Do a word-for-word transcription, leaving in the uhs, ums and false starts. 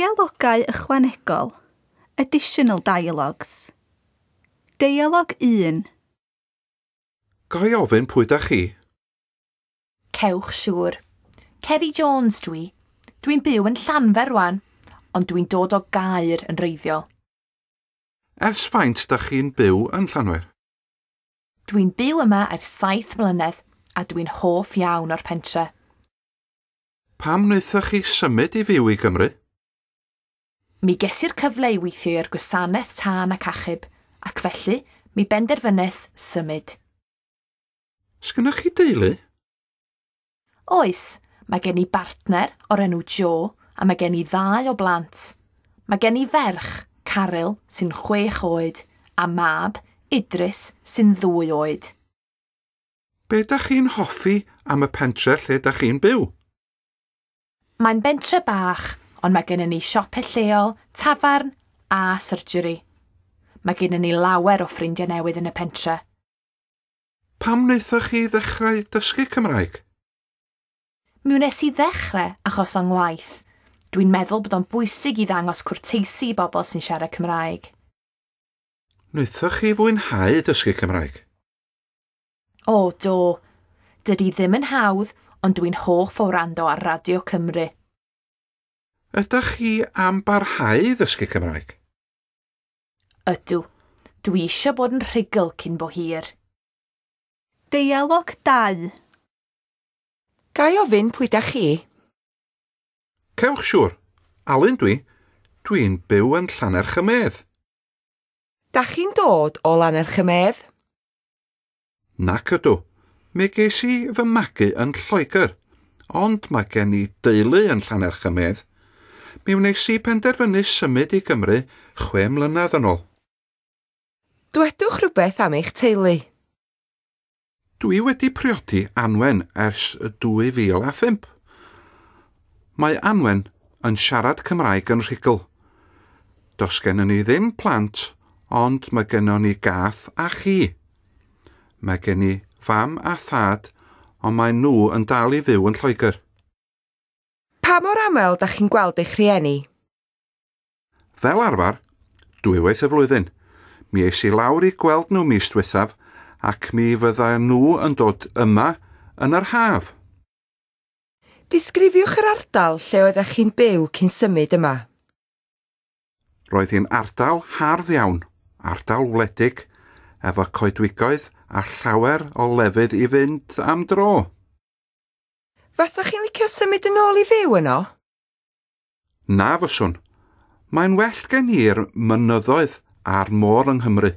Deialogau ychwanegol. Additional dialogues. Deialog un. Ga i ofyn pwy da chi? Cewch siŵr. Ceri Jones dwi. Dwi'n byw yn Llanfair rwan, ond dwi'n dod o Gaer yn wreiddiol. Ers faint da chi'n byw yn Llanfair? Dwi'n byw yma ers saith mlynedd a dwi'n hoff iawn o'r pentre. Pam wnaethoch chi symud i fyw i Gymru? Mi ges i'r cyfle i weithio i'r gwasanaeth tân ac achub, ac felly mi benderfynes symud. Sgynnoch chi deulu? Oes, mae gen i bartner o'r enw Joe a mae gen i ddau o blant. Mae gen i ferch, Caryl, sy'n chwech oed, a mab, Idris, sy'n ddwy oed. Be da chi'n hoffi am y pentre lle da chi'n byw? Mae'n bentre bach, ond mae gennym ni siopau lleol, tafarn a surgery. Mae gennym ni lawer o ffrindiau newydd yn y pentre. Pam wnaethoch chi ddechrau dysgu Cymraeg? Mi wnes i ddechrau achos o'n ngwaith. Dwi'n meddwl bod o'n bwysig i ddangos cwrteisi i bobl sy'n siarad Cymraeg. Wnaethoch chi fwynhau dysgu Cymraeg? O, do. Dydy ddim yn hawdd, ond dwi'n hoff o wrando ar Radio Cymru. Ydych chi am barhau i ddysgu Cymraeg? Ydw. Dwi eisiau bod yn rhugl cyn bo hir. Deialog dau. Ga i ofyn pwy da chi? Cewch siŵr. Alun dwi. Dwi'n byw yn Llannerch-y-medd. Da chi'n dod o Lannerch-y-medd? Nac ydw. Mi ges i fy magu yn Lloegr, ond mae gen i deulu yn Llannerch-y-medd. Mi wnes i penderfynu symud i Gymru chwe mlynedd yn ôl. Dwedwch rhywbeth am eich teulu. Dwi wedi priodi Anwen ers dwy fil a phump. Mae Anwen yn siarad Cymraeg yn rhugl. Does gennym ni ddim plant, ond mae gennym ni gath a chi. Mae gen i fam a thad, ond mae nhw yn dal i fyw yn Lloegr. Pa mor aml da chi'n gweld eich rhieni? Fel arfer, dwywaith y flwyddyn. Mi es i lawr i gweld nhw mis diwethaf ac mi fydda nhw yn dod yma yn yr haf. Disgrifiwch yr ardal lle oeddech chi'n byw cyn symud yma. Roedd hi'n ardal hardd iawn, ardal wledig, efo coedwigoedd a llawer o lefydd i fynd am dro. Fasach chi'n licio symud yn ôl i fyw yno? Na fyswn. Mae'n well gen i'r mynyddoedd a'r môr yng Nghymru.